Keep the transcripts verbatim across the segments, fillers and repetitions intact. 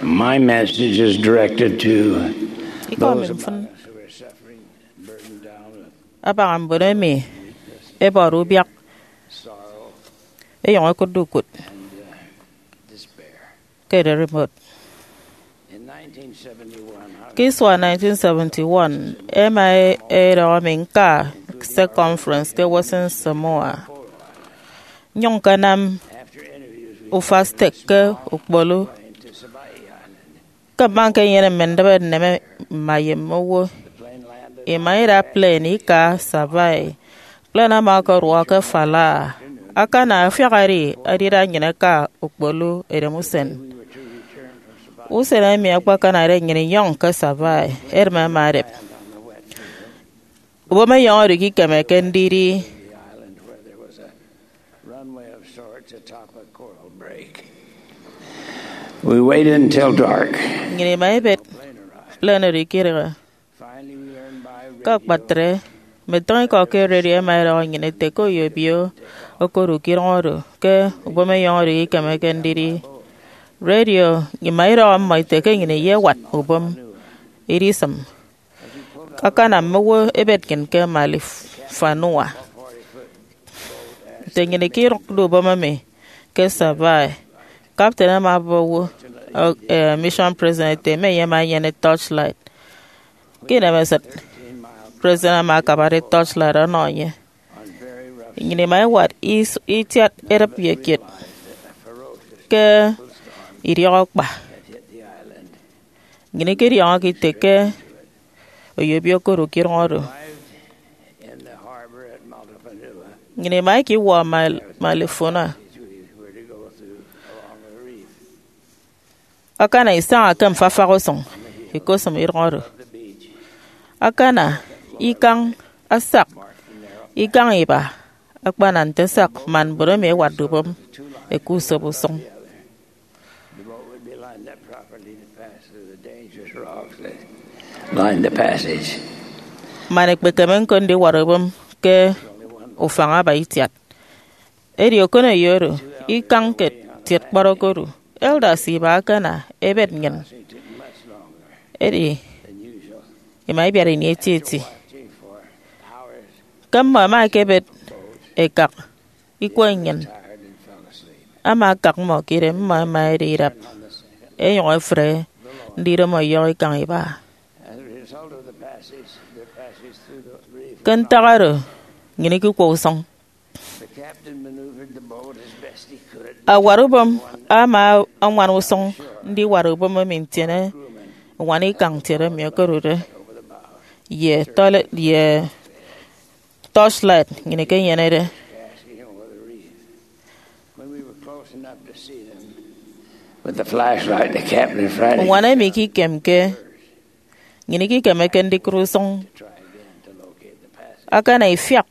My message is directed to Ikọ mi those mfịn among us who are suffering, burdened down with abaña mbon emi ẹbọde ubiak sorrow, ẹyọñ ẹkụtde ukụt despair. Ke ererimbot. In nineteen seventy-one, how Ke isua nineteen seventy-one, ẹma ẹdọhọ mi ñka Circumference ke Western Samoa, nyụñ ñkanam ufak stek ke Ukpoulu. Ke mma ñkenyene mme ndịbe nneme mma ye mme owo, ima ida plane ika Savai'i. Plane ama ọkọduọ ke Fala'a. Akana afiak edi edida nnyịn eka Ukpoulu edem usen. Usen emi akpakanade nnyịn inyọñ ke Savai'i, edịm ẹma ẹdep. Ubom ẹyọñọde ke ikemeke ndidi. Runway of sorts atop a coral break. We waited until dark. Nnyịn ima ibet plane oro ikedịghe. Finally, we learned by radio. Ke akpatre, mme utịñikọ ke redio ẹma ẹdọhọ nnyịn ete ke oyobio okodu ke idụñ oro, ke ubom ẹyọñọde ke ikemeke ndidi. Redio ima idọhọ mmọ ete ke nnyịn iyewat ubom, idisịm. Akana mme owo ẹbet nnyịn ke Malifanua. Nte nnyịn ikidụkde ubom emi ke Savai'i, kapten ama ọbọ owo, eh, mission president ete mme enye ama enyene torchlight. Ke inemesịt, president ama akabade torchlight ọnọ enye. Nnyịn ima iwat is- itiat edịp ye kiet ke idiọk akpa. Nnyịn ikidiọñọke ite ke oyobio okodu ke idụñ oro. Nnyịn ima ikiwọ Mal- Malifuna. Akana isaña ke mfafak usụñ, ikosịm idụñ oro. Akana ikañ asak, ikañ iba akpana nte asak, man mbon emi ẹwatde ubom ẹka usop usụñ. The boat would be lined up properly to pass through the dangerous rocks that lined the passage. Man ekpekeme ñko ndiwat ubom ke ufañ aba itiat. Edi okoneyo oro, ikañ ke tiet kpọt okodu. Elders iba akana ẹbet nnyịn. Edi ima ibiat ini etieti. Ke mmọ ẹma ẹkebet ẹkak ikwe nnyịn, ama akak mmọ ke idem, mmọ ẹma ẹdi idap, ẹnyụñ ẹfre ndidomo ọyọhọ ikañ iba. Ke ntak oro, nnyịn ikikwọ usụñ. Awat ubom ama añwan usụñ ndiwat ubom emi ntiene uñwana ikañ ntiet emi okodude ye tọle- ye torchlight nnyịn ikenyenede. With the flashlight, the captain frightened. Uñwana emi ikikemke, nnyịn ikikemeke ndikụt usụñ. Akana ifiak,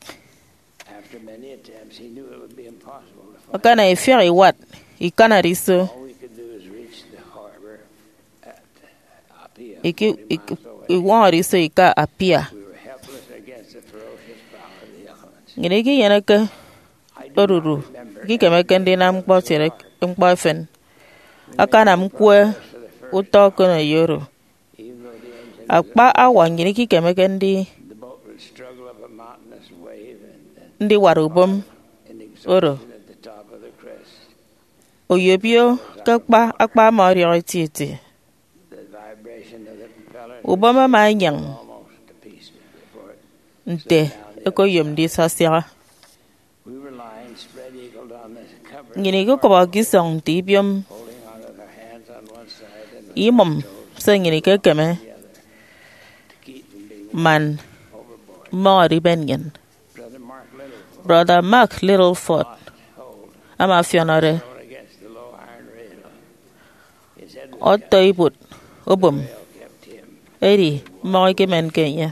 After many attempts, he knew it would be impossible to find. Akana ifiak iwat ikanade iso. All we could do is reach the harbor at Apia, Iki- forty iki- miles away. Iwọñọde iso ika Apia. We were helpless against the ferocious power of the elements. Nnyịn ikinyeneke odudu, ikikemeke ndinam ñkpọ tiet ñkpọ efen. Akanam ñkwe utọ okoneyo oro. Even though the engine Akpa awa nnyịn ikikemeke ndi the boat would struggle up a mountainous wave and then ndiwat ubom in oro. Exhaustion at the top of the crest. Oyobio ke akpa akpa ama ọdiọk etieti. The vibration of the propeller Ubom ama enyeñ almost to pieces before it nte ekoyomde isasiaha. We were lying spread eagled on the cover, Nnyịn ikikọbọ ke isọñ nte ibiom, holding our hands on one side and imụm se nnyịn ikekeme, to keep from being man overboard. Mmọñọde iben nnyịn. Brother Mark Little Brother Mark Littleford hold ama afiọnọde thrown against the low iron rail. His head was ọtọ ibot obom, kept him. Edi mmọñ ikimenke enye.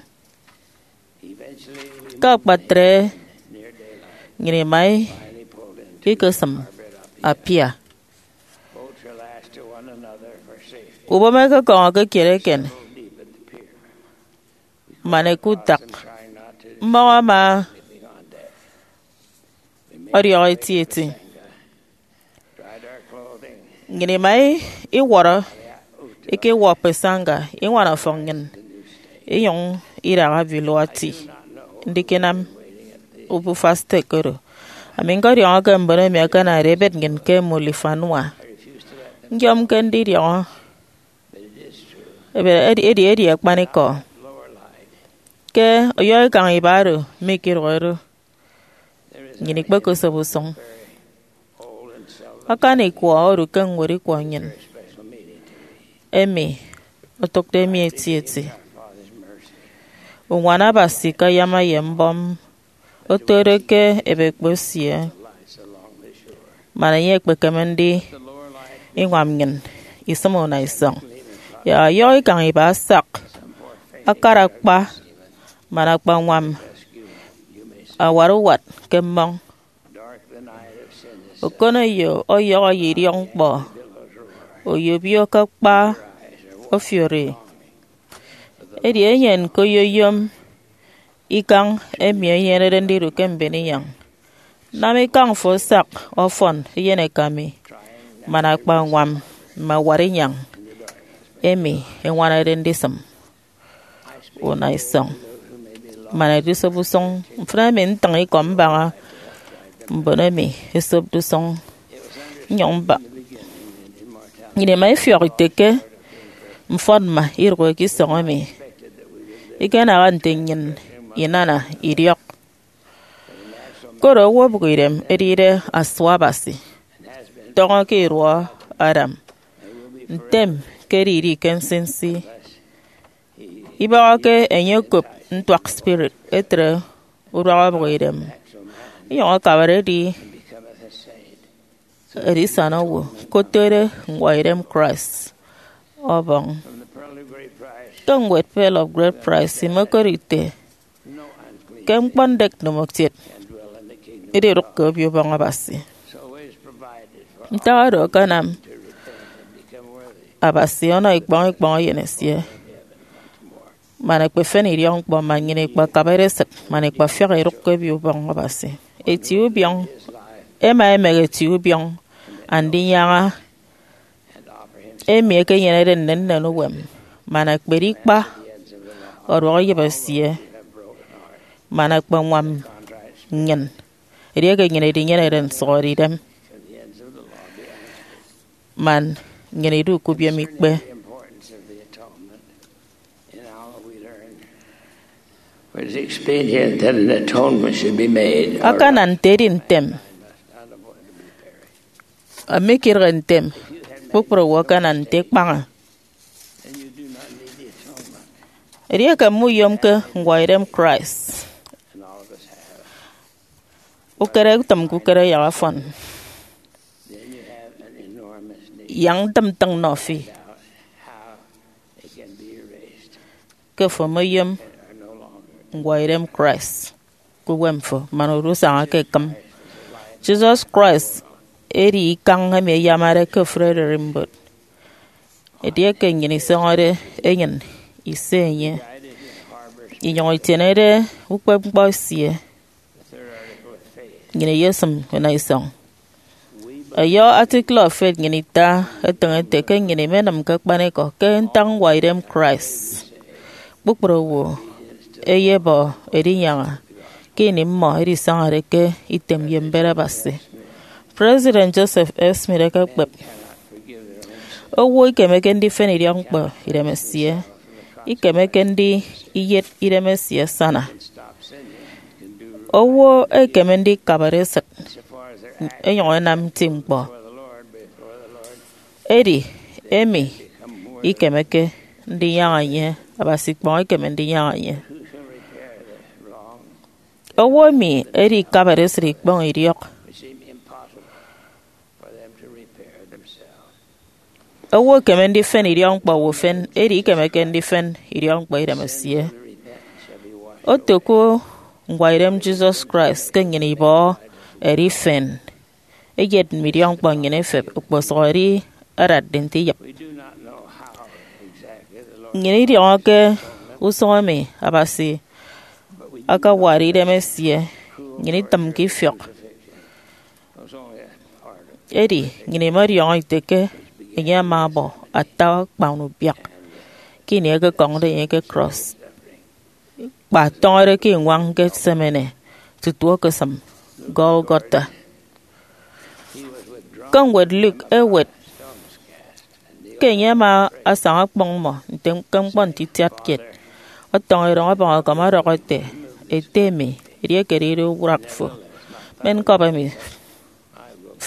Ke akpatre, nnyịn ima ikesịm Apia. Ubom ẹkekọñọke kiet eken man ẹkụt ntak. Mmọñ ama ọdiọk etieti. Nnyịn ima iwọrọ ikiwọp esaña iñwana ọfọñ nnyịn inyụñ idaha Vanuatu ndikinam obufa stek oro. Ami ñkọdiọñọ ke mbon emi ẹkenade ẹbet nnyịn ke Mulifanua. Nyomke ndidiọñọ, edi, edi akpanikọ ke ọyọhọ ikañ iba oro mikidụhe do. Nnyịn ikpekosop usụñ. Akani ikwọ odu ke ñwed ikwọ nnyịn emi otụkde mi etieti. Uñwana Abasi ke ayama ye mbọm otode ke ebekpo esie, man enye ekpekeme ndiñwam nnyịn isịm unaisọñ. Yak ọyọhọ ikañ iba asak, akara kpa man akpañwam awat uwat ke mmọñ. Okoneyo ọyọhọ ye idiọkñkpọ, oyobio ke akpa ofiori. Edi enye ñko oyoyom ikañ emi enyenede ndidu ke mbon inyañ. Nam ikañ fo asak ọfọn eyeneka mi, man akpañwam mme awat inyañ emi eñwanade ndisịm unaisọñ, man edisop usụñ. Mfịna emi ntịñ ikọ mbaña mbon emi esopde usụñ nnyụñ mba. Nnyịn ima ifiọk ite ke mfọnmma idụhe ke isọñ emi ikenaha nte nnyịn inana idiọk. Koro owo obụk idem edide asua Abasi, tọñọ ke iduọ Adam, ntem ke edidi ke nsinsi, ibọhọke enye okop ntuak spirit etre uduak obụk idem, inyụñ akabade edi edisana owo, kotode ñwọidem Christ ọbọñ. Ke ñwed Pearl of Great Price imokot ite ke ñkpọ ndek ndomokiet ididụk ke Obio Ubọñ Abasi. Ntak oro akanam Abasi ọnọ ikpọñ ikpọñ Eyen esie, man ẹkpefen idiọkñkpọ, man nnyịn ikpakabade esịt, man ikpafiak idụk ke Obio Ubọñ Abasi. Eti ubiọñ, ẹma ẹmehe eti ubiọñ Andinyaña emi ekenyenede nnennen uwem, man ẹkpedi ikpa ọduọk iyịp esie, man ẹkpeñwam nnyịn edieke nnyịn idinyenede nsụhọdeidem, man nnyịn idu ke ubiomikpe. It is expedient that an atonement should be made. Akana nte edi ntem, ami ikidịghe ntem, kpukpru owo akana nte ikpaña. Edieke mmuyomke ñwọidem Christ, ukere utịm ke ukere yak ọfọn. Yak ntịm ntịñ nnọ fi ke ofo omeyom ñwọidem Christ ke uwem fo, man odu usaña ke ekịm. Jesus Christ edi ikañ emi eyamade ke ofụri ererimbot. Edieke nnyịn isọñọde enyịn ise enye, inyụñ itienede ukpepñkpọ esie, nnyịn iyesịm unaisọñ. Ẹyọ article of faith nnyịn ita etịñ ete ke nnyịn imenịm ke akpanikọ ke ntak ñwọidem Christ, kpukpru owo ẹyebọ edinyaña ke ini mmọ ẹdisañade ke item ye mbet Abasi. President Joseph F. Smith ekekpep, owo ikemeke ndifen idiọkñkpọ idemesie, ikemeke ndi iyet idemesie asana. Owo ekeme ndikabade esịt enyụñ enam nti ñkpọ. Edi emi ikemeke ndinyaña enye, Abasi ikpọñ ekeme ndinyaña enye. Owo emi edikabade esịt ikpọñ idiọk. Owo ekeme ndifen idiọkñkpọ owo ufen, edi ikemeke ndifen idiọkñkpọ idemesie. Oto ke ñwọidem Jesus Christ ke nnyịn ibọhọ edifen eyet mme idiọkñkpọ nnyịn efep okposụkedi adatde nte iyịp. Nnyịn idiọñọke usụñ emi Abasi akawade idem esie, nnyịn itịmke ifiọk. Edi nnyịn imọdiọñọ ite ke enye ama ọbọ ata akpan ubiak ke ini ẹkekọñde enye ke krọs, kpa tọñọde ke iñwañ Gethsemane tutu okosịm Golgotha. Ke ñwed Luke ewet ke enye ama asaña ọkpọñ mmọ nte ke ñkpọ nte itiat kiet, ọtọñọ erọñ ọbọñ akam ọdọhọ ete, Ete mi, edieke edide uduak fo, men cup emi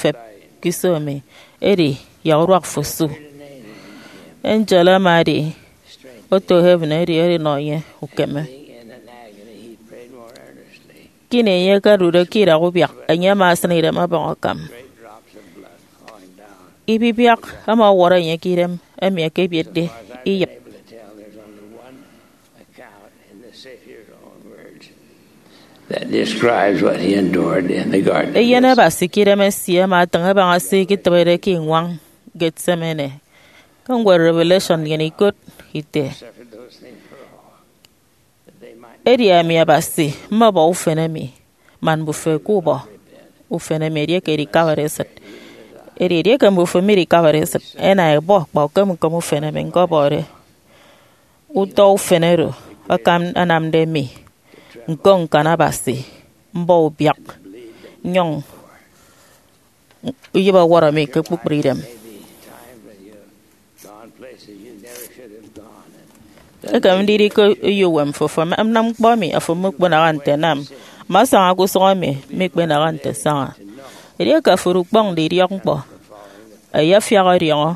fep ke iso mi, edi yak uduak fo su. Angel ama edi oto heaven edi edinọ enye ukeme. Ke ini enye akadude ke idak ubiak, enye ama asịn idem ọbọñ akam. Ibibiak ama ọwọrọ enye ke idem emi ẹkebietde iyịp. That describes what he endured in the garden. Eyen Abasi ke idem esie ama atịñ abaña se iketịbede ke iñwañ Gethsemane. Ke ñwed Revelation nnyịn ikot ite, Edi ami Abasi mmọbọ ufen emi, man mbufo ẹkubọ ufen emi edieke edikabade esịt. Edi edieke mbufo midikabade esịt, ẹna ẹbọ kpa ukem ukem ufen emi ñkọbọde. Utọ ufen oro akam anamde mi ñko ñkan Abasi, mbọ ubiak, nnyụñ iyịp ọwọrọ mi ke kpukpru idem. Ekem ndidi ke eyo uwem fo, fo anam ñkpọ emi afo mukponaha nte anam, mme asaña ke usụñ emi mikpenaha nte asaña. Edieke afo odu ukpọñde idiọkñkpọ, ẹyefiak ọdiọñọ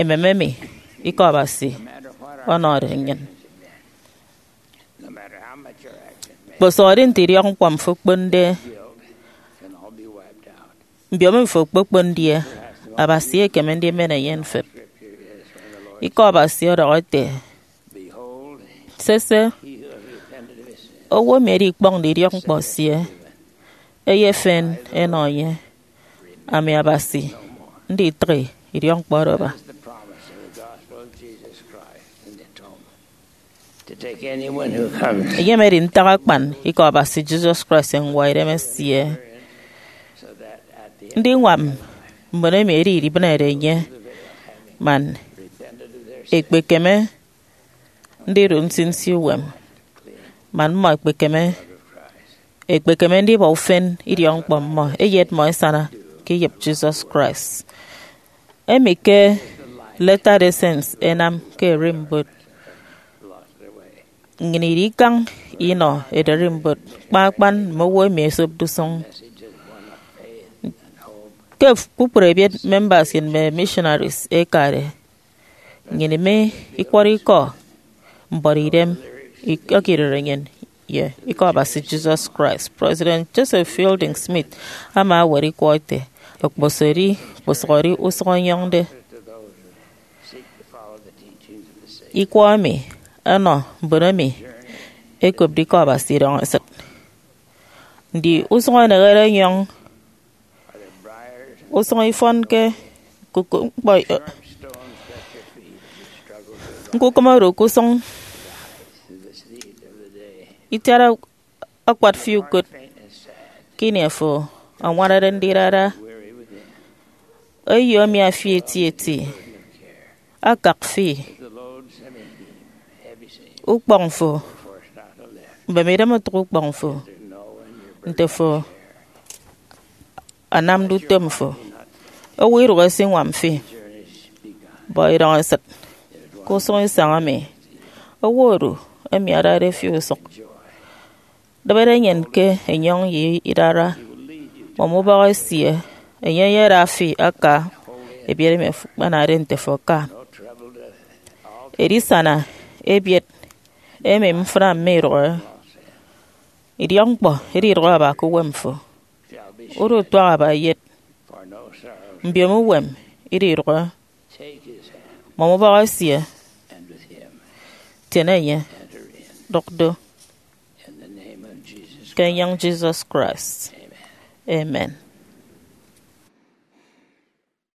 emem emi Ikọ Abasi ọnọde nnyịn. Kposụkedi nte idiọkñkpọ mfo okponde, mbiomo mfo okpokpon ndiye, Abasi ekeme ndimen enye mfep. Ikọ Abasi ọdọhọ ete, Sese, owo emi edikpọñde idiọkñkpọ esie eyefen enọ enye, ami Abasi nditịghi idiọkñkpọ oro aba. Enyịmede ntak akpan Ikọ Abasi Jesus Christ ye ñwọidem esie ndiñwam mbon emi edibịnede enye, man ekpekeme ndidu nsinsi uwem, man mmọ ekpekeme ekpekeme ndibọ ufen idiọkñkpọ mmọ, eyet mmọ esana ke iyịp Jesus Christ. Emi ke Latter-day Saints ẹnam ke ererimbot. Nnyịn idikañ inọ ererimbot, kpa akpan mme owo emi ẹsopde usụñ. Ke kpukpru ebiet members kiet mme missionaries ẹkade, nnyịn mi ikwọrọ ikọ mbuọtidem, ikọ ekidere nnyịn ye Ikọ Abasi Jesus Christ. President Joseph Fielding Smith ama ewet ikwọ ete, Okposụkedi, okposụkedi usụñ enyọñde, ikwọ emi ọnọ mbon emi ẹkopde Ikọ Abasi idọñ esịt. Ndi usụñ enehede enyọñ? Usụñ ifọnke ñkukụm ñkpọ, ñkukụm orụk usụñ itiat akpat fi ukot ke ini afo añwanade ndidara eyo emi afi etieti, akak fi, ukpọñ fo, mbem idem otụk ukpọñ fo, nte fo anamde utom fo. Owo idụk esiñwam fi. Bọ idọñ esịt ke usụñ isañ emi owo odu emi adade fi usụk. Dịbede enyịn ke enyọñ ye idara. Mọm ubọk esie, enye eyeda fi aka ebiet emi ekpanade nte fo aka. Edisana ebiet emi mfịna midụhe, idiọkñkpọ ididụhe aba ke uwem fo. Udutuaha aba eyet, mbiomo uwem ididụhe. Mọm ubọk esie, tiene enye, dụk do. Ke enyọñ Jesus Christ, amen.